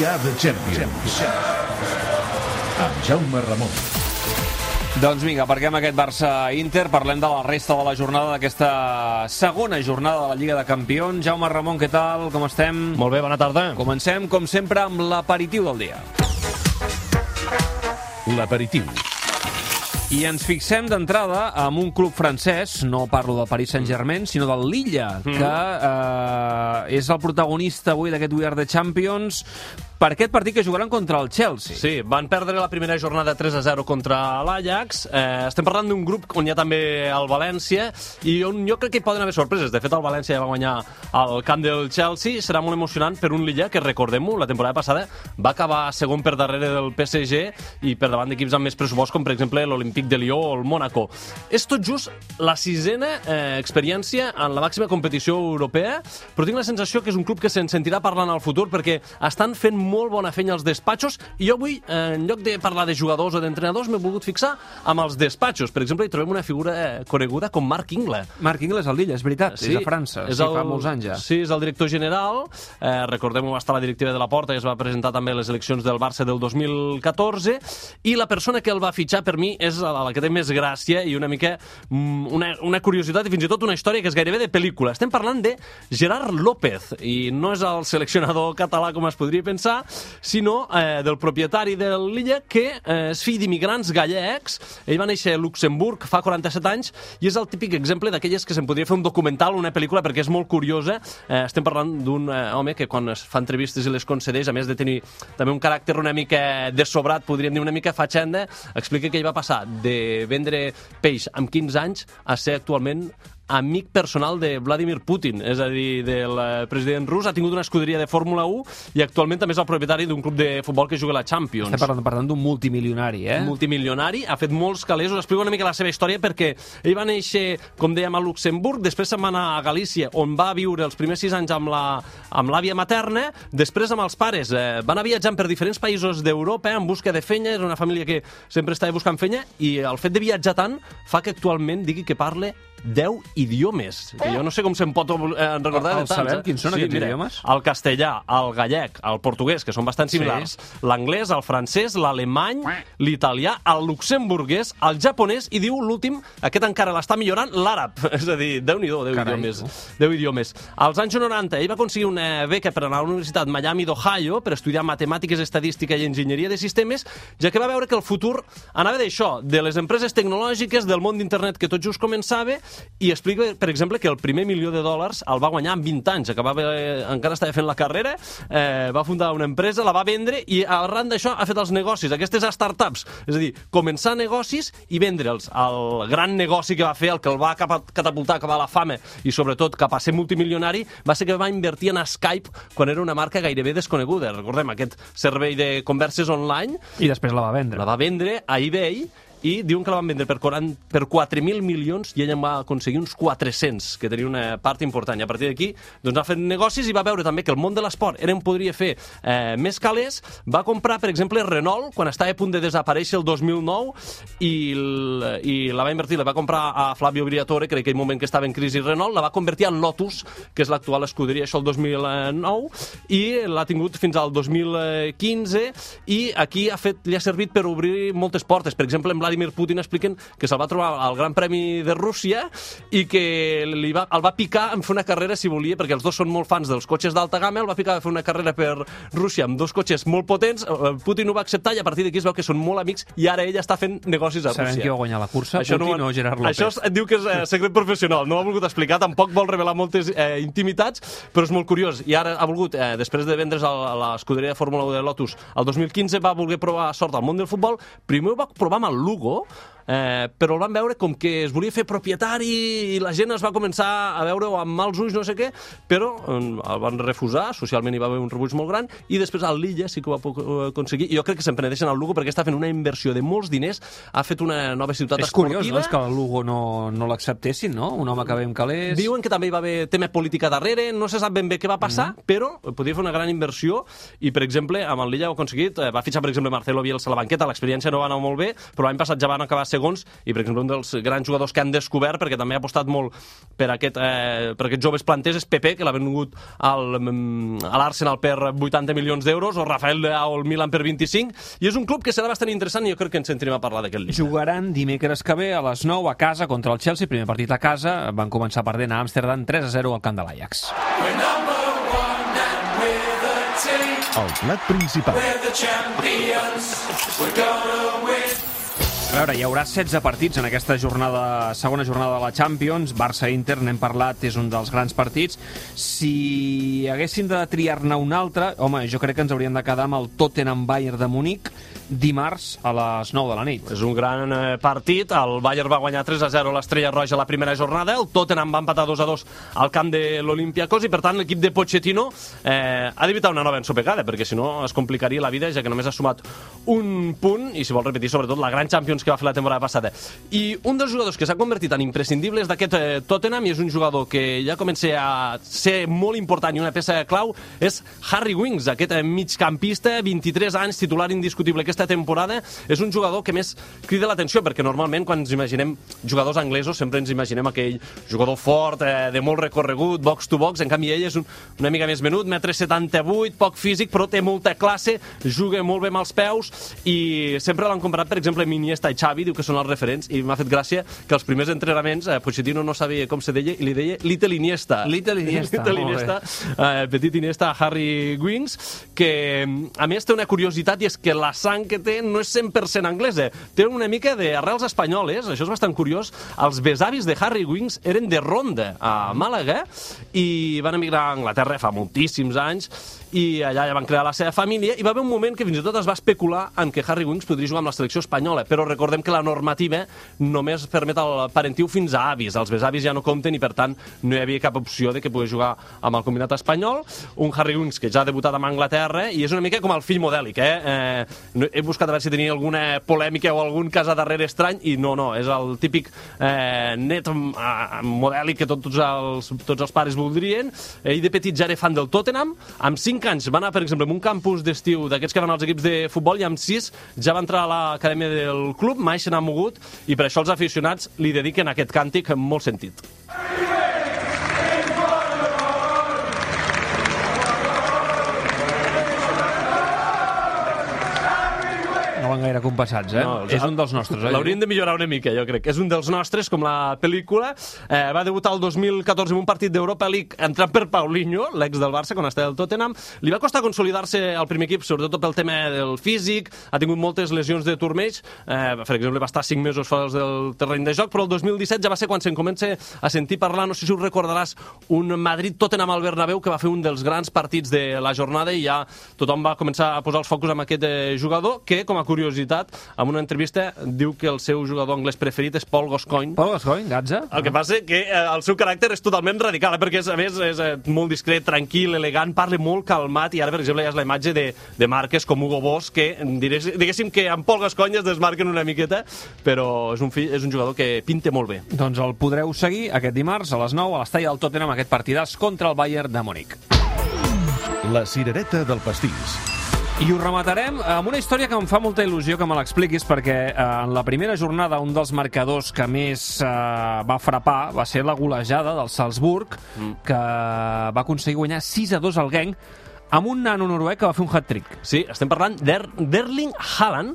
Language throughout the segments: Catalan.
We are the champions. Amb Jaume Ramon. Doncs vinga, aparquem aquest Barça-Inter, parlem de la resta de la jornada d'aquesta segona jornada de la Lliga de Campions. Jaume Ramon, què tal? Com estem? Molt bé, bona tarda. Comencem, com sempre, amb l'aperitiu del dia. L'aperitiu. I ens fixem d'entrada amb un club francès, no parlo del Paris Saint-Germain, sinó del Lilla, que és el protagonista avui d'aquest We Are the Champions, per aquest partit que jugaran contra el Chelsea. Sí, van perdre la primera jornada 3-0 contra l'Ajax. Estem parlant d'un grup on hi ha també el València i on jo crec que hi poden haver sorpreses. De fet, el València ja va guanyar al camp del Chelsea. Serà molt emocionant per un Lilla que, recordem-ho, la temporada passada va acabar segon per darrere del PSG i per davant d'equips amb més pressupost, com per exemple l'Olympique de Lió o el Mónaco. És tot just la sisena experiència en la màxima competició europea, però tinc la sensació que és un club que se'n sentirà parlant al futur perquè estan fent molt bona feina als despatxos i jo avui, en lloc de parlar de jugadors o d'entrenadors, m'he volgut fixar amb els despatxos. Per exemple, hi trobem una figura coneguda com Marc Ingles. Marc Ingles al Lilla, és veritat, Sí, és de França, fa molts anys ja. Sí, és el director general, recordem-ho, va estar a la directiva de la Porta i es va presentar també a les eleccions del Barça del 2014, i la persona que el va fitxar per mi és la que té més gràcia i una mica una curiositat i fins i tot una història que és gairebé de pel·lícula. Estem parlant de Gerard López, i no és el seleccionador català com es podria pensar, sinó del propietari del Lilla, que és fill d'immigrants gallecs. Ell va néixer a Luxemburg fa 47 anys i és el típic exemple d'aquelles que se'n podria fer un documental o una pel·lícula perquè és molt curiosa. Estem parlant d'un home que quan es fa entrevistes i les concedeix, a més de tenir també un caràcter una mica desobrat, podríem dir una mica fatxenda, explica que ell va passar de vendre peix amb 15 anys a ser actualment amic personal de Vladimir Putin, és a dir, del president rus. Ha tingut una escuderia de Fórmula 1 i actualment també és el propietari d'un club de futbol que juga a la Champions. Estem parlant d'un multimilionari, Multimilionari, ha fet molts calés. Us explico una mica la seva història perquè ell va néixer, com dèiem, a Luxemburg, després se'n va anar a Galícia, on va viure els primers 6 anys amb l'àvia materna, després amb els pares. Van anar viatjant per diferents països d'Europa en busca de feina, era una família que sempre estava buscant feina, i el fet de viatjar tant fa que actualment digui que parle 10 idiomes, que jo no sé com se'n pot recordar de tants. Sabem quins són aquests idiomes? El castellà, el gallec, el portuguès, que són bastant similars, l'anglès, el francès, l'alemany, l'italià, el luxemburguès, el japonès i diu l'últim, aquest encara l'està millorant, l'àrab. És a dir, Déu-n'hi-do, 10 idiomes. Als anys 90 ell va aconseguir una beca per anar a la Universitat Miami d'Ohio per estudiar matemàtiques, estadística i enginyeria de sistemes, ja que va veure que el futur anava d'això, de les empreses tecnològiques, del món d'internet que tot just començava, i explica, per exemple, que el primer $1.000.000 el va guanyar en 20 anys. Encara estava fent la carrera, va fundar una empresa, la va vendre i arran d'això ha fet els negocis, aquestes startups. És a dir, començar negocis i vendre'ls. El gran negoci que va fer, el que el va catapultar cap a la fama i sobretot cap a ser multimilionari, va ser que va invertir en Skype quan era una marca gairebé desconeguda. Recordem aquest servei de converses online. I després la va vendre. La va vendre a eBay i diuen que la van vendre per 4.000 milions i ella en va aconseguir uns 400, que tenia una part important. I a partir d'aquí doncs, ha fet negocis i va veure també que el món de l'esport era on podria fer més calés. Va comprar, per exemple, Renault, quan estava a punt de desaparèixer el 2009, i la va invertir, la va comprar a Flavio Briatore, que en aquell moment que estava en crisi Renault, la va convertir en Lotus, que és l'actual escuderia, això el 2009, i l'ha tingut fins al 2015, i aquí li ha servit per obrir moltes portes. Per exemple, en Vladimir Putin expliquen que se'l va trobar al Gran Premi de Rússia i que el va picar en fer una carrera, si volia, perquè els dos són molt fans dels cotxes d'alta gamma, el va picar a fer una carrera per Rússia amb dos cotxes molt potents. Putin ho va acceptar i a partir d'aquí es veu que són molt amics i ara ell està fent negocis a Rússia. Sabem qui va guanyar la cursa, això Putin o Gerard López? Això diu que és secret professional, no ho ha volgut explicar, tampoc vol revelar moltes intimitats, però és molt curiós. I ara ha volgut, després de vendre's a l'escuderia de Fórmula 1 de Lotus, el 2015 va voler provar sort al món del futbol. Primer ho va provar amb el Lugo, però el van veure com que es volia fer propietari i la gent es va començar a veure-ho amb mals ulls, no sé què, però el van refusar, socialment hi va haver un rebuig molt gran, i després al Lilla sí que ho va aconseguir, i jo crec que se'n penedeixen al Lugo perquè està fent una inversió de molts diners, ha fet una nova ciutat esportiva. És curiós, no?, que el Lugo no l'acceptessin, no? Un home que ve amb calés... Diuen que també hi va haver tema política darrere, no se sap ben bé què va passar, però podria fer una gran inversió, i per exemple, amb el Lilla ho ha aconseguit, va fitxar per exemple Marcelo Bielsa a la banqueta, l'experiència no va anar molt bé, però l'any passat ja van acabar segons, i per exemple un dels grans jugadors que han descobert, perquè també ha apostat molt per aquests joves planters, és Pepe, que l'ha venut a l'Arsenal per 80 milions d'euros, o Rafael Leao al Milan per 25, i és un club que serà bastant interessant i jo crec que ens sentirem a parlar d'aquest Lilla. Jugaran dimecres que ve a les 9 a casa contra el Chelsea, primer partit a casa, van començar perdent a Amsterdam 3-0 al camp de l'Ajax. El plat principal. A veure, hi haurà 16 partits en aquesta segona jornada de la Champions. Barça-Inter, n'hem parlat, és un dels grans partits. Si haguéssim de triar-ne un altre, home, jo crec que ens hauríem de quedar amb el Tottenham-Bayern de Munic dimarts a les 9 de la nit. És un gran partit. El Bayern va guanyar 3-0 a l'Estrella Roja la primera jornada. El Tottenham va empatar 2-2 al camp de l'Olympiacos i, per tant, l'equip de Pochettino ha d'evitar una nova ensopegada, perquè si no es complicaria la vida, ja que només ha sumat un punt i si vol repetir sobretot la gran Champions que va fer la temporada passada. I un dels jugadors que s'ha convertit en imprescindibles d'aquest Tottenham, i és un jugador que ja comença a ser molt important i una peça clau, és Harry Winks, aquest migcampista, 23 anys, titular indiscutible aquesta temporada. És un jugador que més crida l'atenció, perquè normalment quan ens imaginem jugadors anglesos sempre ens imaginem aquell jugador fort, de molt recorregut, box to box. En canvi ell és una mica més menut, 1,78 m, poc físic, però té molta classe, juga molt bé amb els peus, i sempre l'han comparat, per exemple, amb Iniesta i Xavi, diu que són els referents, i m'ha fet gràcia que els primers entrenaments Pochettino no sabia com se deia i li deia Little Iniesta. Little Iniesta. Petit Iniesta, Harry Winks, que a més té una curiositat, i és que la sang que té no és 100% anglesa, té una mica d'arrels espanyoles. Això és bastant curiós. Els besavis de Harry Winks eren de Ronda, a Màlaga, i van emigrar a Anglaterra fa moltíssims anys, i allà ja van crear la seva família, i va haver un moment que fins i tot es va especular en que Harry Winks podria jugar amb la selecció espanyola, però recordem que la normativa només permet el parentiu fins a avis. Els besavis ja no compten i, per tant, no hi havia cap opció de que pogués jugar amb el combinat espanyol. Un Harry Winks que ja ha debutat amb Anglaterra i és una mica com el fill modèlic, He buscat a veure si tenia alguna polèmica o algun cas a darrere estrany, i no, és el típic net modèlic que tots els pares voldrien. Ell de petit ja era fan del Tottenham. Amb 5 anys va anar, per exemple, en un campus d'estiu d'aquests que van als equips de futbol, i amb 6 ja va entrar a l'acadèmia del club, mai se n'ha mogut, i per això els aficionats li dediquen aquest càntic amb molt sentit. No van gaire compassats, No, és un dels nostres, L'haurien de millorar una mica, jo crec. És un dels nostres, com la pel·lícula. Va debutar el 2014 en un partit d'Europa League entrant per Paulinho, l'ex del Barça, quan estava al Tottenham. Li va costar consolidar-se al primer equip, sobretot pel tema del físic. Ha tingut moltes lesions de turmells. Per exemple, va estar 5 mesos fora del terreny de joc, però el 2017 ja va ser quan se'n comença a sentir parlar, no sé si us recordaràs, un Madrid-Tottenham al Bernabéu, que va fer un dels grans partits de la jornada, i ja tothom va començar a posar els focus amb aquest jugador, que, com a curiositat, en una entrevista diu que el seu jugador anglès preferit és Paul Gascoigne. Paul Gascoigne, Gatza. El que passa que el seu caràcter és totalment radical, perquè a més és molt discret, tranquil, elegant, parla molt calmat, i ara, per exemple, ja és la imatge de marques com Hugo Boss, que diguéssim que amb Paul Gascoigne es desmarquen una miqueta, però és un jugador que pinta molt bé. Doncs el podreu seguir aquest dimarts a les 9 a l'estadi del Tottenham, aquest partidàs contra el Bayern de Munic. La cirereta del pastís. I ho rematarem amb una història que em fa molta il·lusió que me l'expliquis, perquè en la primera jornada un dels marcadors que més va frapar va ser la golejada del Salzburg, que va aconseguir guanyar 6-2 al Genk, amb un nano noruec que va fer un hat-trick. Sí, estem parlant d'Erling Haaland,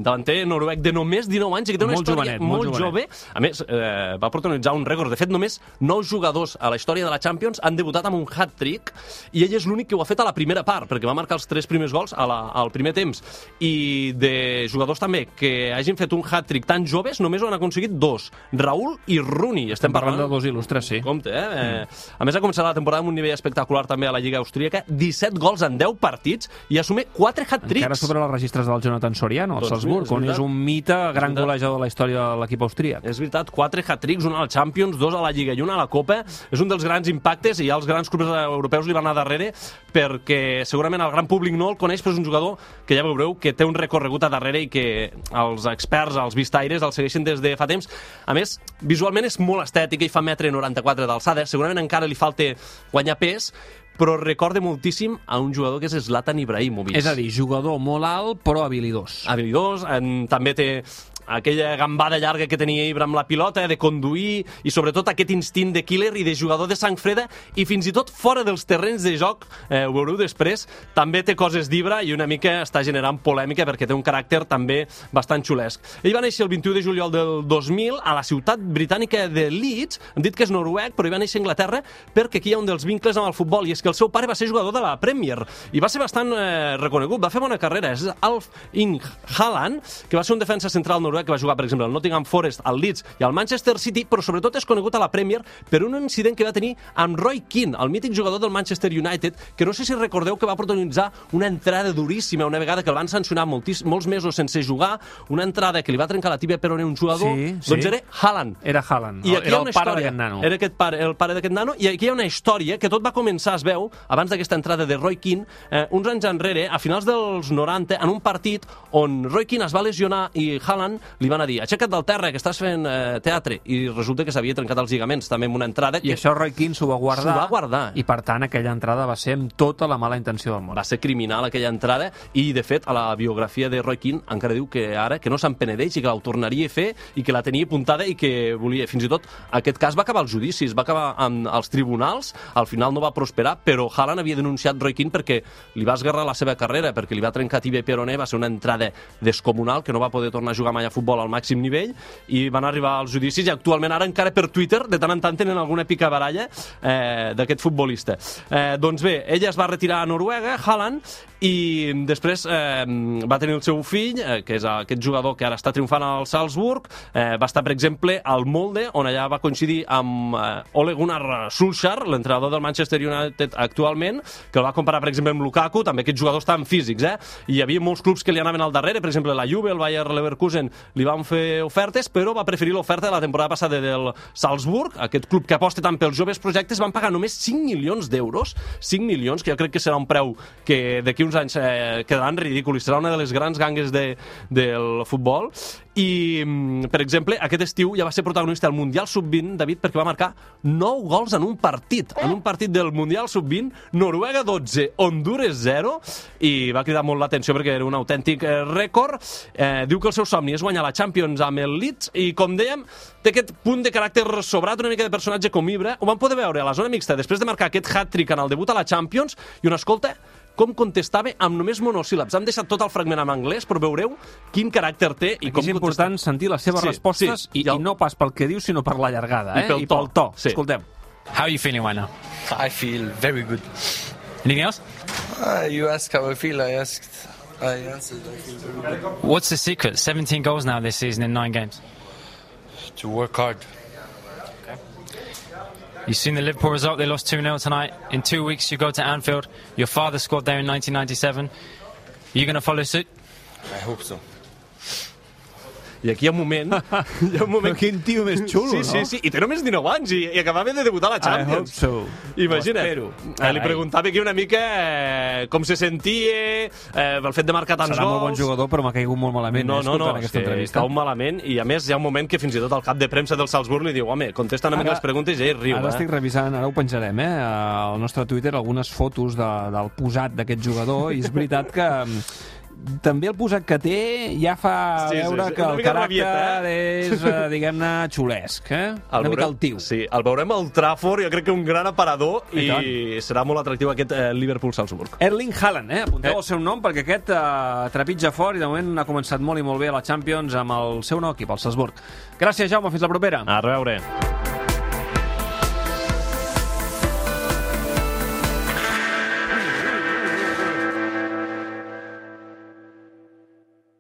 davanter noruec de només 19 anys, i que té una història molt jove. A més, va protagonitzar un rècord. De fet, només 9 jugadors a la història de la Champions han debutat amb un hat-trick, i ell és l'únic que ho ha fet a la primera part, perquè va marcar els 3 primers gols al primer temps. I de jugadors també que hagin fet un hat-trick tan joves, només ho han aconseguit 2, Raúl i Rooney. Estem parlant de 2 il·lustres, sí. Compte, A més, ha començat la temporada amb un nivell espectacular també a la Lliga Austríaca, 17 gols en 10 partits i assume 4 hat-tricks. Encara sobre els registres del Jonathan Soriano, al Salzburg, on és un mite, gran golejador de la història de l'equip austríac. És veritat, 4 hat-tricks, un a la Champions, 2 a la Lliga i un a la Copa. És un dels grans impactes, i ja els grans clubs europeus li van anar darrere, perquè segurament el gran públic no el coneix, però és un jugador que ja veureu que té un recorregut a darrere i que els experts, els vistaires, el segueixen des de fa temps. A més, visualment és molt estètic, ell fa 1,94 m d'alçada, segurament encara li falta guanyar pes, però recorda moltíssim a un jugador que és Zlatan Ibrahimovic. És a dir, jugador molt alt, però habilidós. Habilidós, també té aquella gambada llarga que tenia Ibra amb la pilota, de conduir, i sobretot aquest instint de killer i de jugador de sang freda, i fins i tot fora dels terrenys de joc, ho veureu després, també té coses d'Ibra i una mica està generant polèmica perquè té un caràcter també bastant xulesc. Ell va néixer el 21 de juliol del 2000 a la ciutat britànica de Leeds, hem dit que és noruec, però ell va néixer a Anglaterra perquè aquí hi ha un dels vincles amb el futbol, i és que el seu pare va ser jugador de la Premier i va ser bastant reconegut, va fer bona carrera. És Alf Inge Haaland, que va ser un defensa central noruec que va jugar, per exemple, al Nottingham Forest, al Leeds i al Manchester City, però sobretot és conegut a la Premier per un incident que va tenir amb Roy Keane, el mític jugador del Manchester United, que no sé si recordeu que va protagonitzar una entrada duríssima una vegada que el van sancionar molts mesos sense jugar, una entrada que li va trencar la tíbia peroné a un jugador, doncs era Haaland. Era Haaland, era el pare d'aquest nano. Era el pare d'aquest nano, i aquí hi ha una història que tot va començar, es veu, abans d'aquesta entrada de Roy Keane, uns anys enrere, a finals dels 90, en un partit on Roy Keane es va lesionar i Haaland li van a dir: aixeca't del terra, que estàs fent teatre, i resulta que s'havia trencat els lligaments també amb una entrada. I això Roy Keane s'ho va guardar. S'ho va guardar. I per tant aquella entrada va ser amb tota la mala intenció del món. Va ser criminal aquella entrada, i de fet a la biografia de Roy Keane encara diu que ara que no se'n penedeix i que la tornaria a fer i que la tenia apuntada i que volia. Fins i tot aquest cas va acabar als judicis, va acabar als tribunals, al final no va prosperar, però Haaland havia denunciat Roy Keane perquè li va esgarrar la seva carrera, perquè li va trencar tibia i peroné, va ser una entrada descomunal, que no va poder tornar a jugar mai a futbol al màxim nivell, i van arribar als judicis, i actualment ara encara per Twitter de tant en tant tenen alguna picabaralla d'aquest futbolista. Doncs bé, ella es va retirar a Noruega, Haaland, i després va tenir el seu fill, que és aquest jugador que ara està triomfant al Salzburg, va estar, per exemple, al Molde, on allà va coincidir amb Ole Gunnar Solskjaer, l'entrenador del Manchester United actualment, que el va comparar, per exemple, amb Lukaku, també aquests jugadors tan físics, i hi havia molts clubs que li anaven al darrere, per exemple, la Juve, el Bayer Leverkusen, li van fer ofertes, però va preferir l'oferta de la temporada passada del Salzburg, aquest club que aposta tant pels joves projectes. Van pagar només 5 milions d'euros, 5 milions, que jo crec que serà un preu que d'aquí uns anys quedaran ridícul i serà una de les grans gangues del futbol. I, per exemple, aquest estiu ja va ser protagonista del Mundial Sub-20, David, perquè va marcar 9 gols en un partit del Mundial Sub-20, Noruega 12, Hondures 0, i va cridar molt l'atenció perquè era un autèntic rècord. Diu que el seu somni és guanyar la Champions amb el Leeds, i, com dèiem, té aquest punt de caràcter sobrat, una mica de personatge com Ibra. Ho van poder veure a la zona mixta després de marcar aquest hat-trick en el debut a la Champions, i una escolta com contestava amb només monosíl·labs. Hem deixat tot el fragment en anglès, però veureu quin caràcter té i com és important sentir les seves respostes i no pas pel que diu, sinó per la llargada, i pel to. Escoltem. How are you feeling right now? I feel very good. Anything else? You asked how I feel, I answered. I feel very good. What's the secret? 17 goals now this season in 9 games. To work hard. You've seen the Liverpool result. They lost 2-0 tonight. In 2 weeks, you go to Anfield. Your father scored there in 1997. Are you going to follow suit? I hope so. I aquí hi ha un moment... Quin tio més xulo, no? Sí, i té només 19 anys i acabava de debutar a la Champions. I hope so. Imagina't. Li preguntava aquí una mica com se sentia, el fet de marcar tants gols. Serà molt bon jugador, però m'ha caigut molt malament. No, aquesta entrevista. cau malament, i a més hi ha un moment que fins i tot el cap de premsa del Salzburg li diu: home, contesta una mica les preguntes, i ell riu. Ara estic revisant, ara ho penjarem, al nostre Twitter, algunes fotos del posat d'aquest jugador, i és veritat que també el posat que té ja fa veure que el caràcter és, diguem-ne, xulesc, una mica altiu. Sí, el veurem al Trafford, jo crec que un gran aparador, i serà molt atractiu aquest Liverpool-Salzburg. Erling Haaland, apunteu el seu nom, perquè aquest trepitja fort i de moment ha començat molt i molt bé a la Champions amb el seu nou equip, el Salzburg. Gràcies, Jaume, fins la propera. A reveure.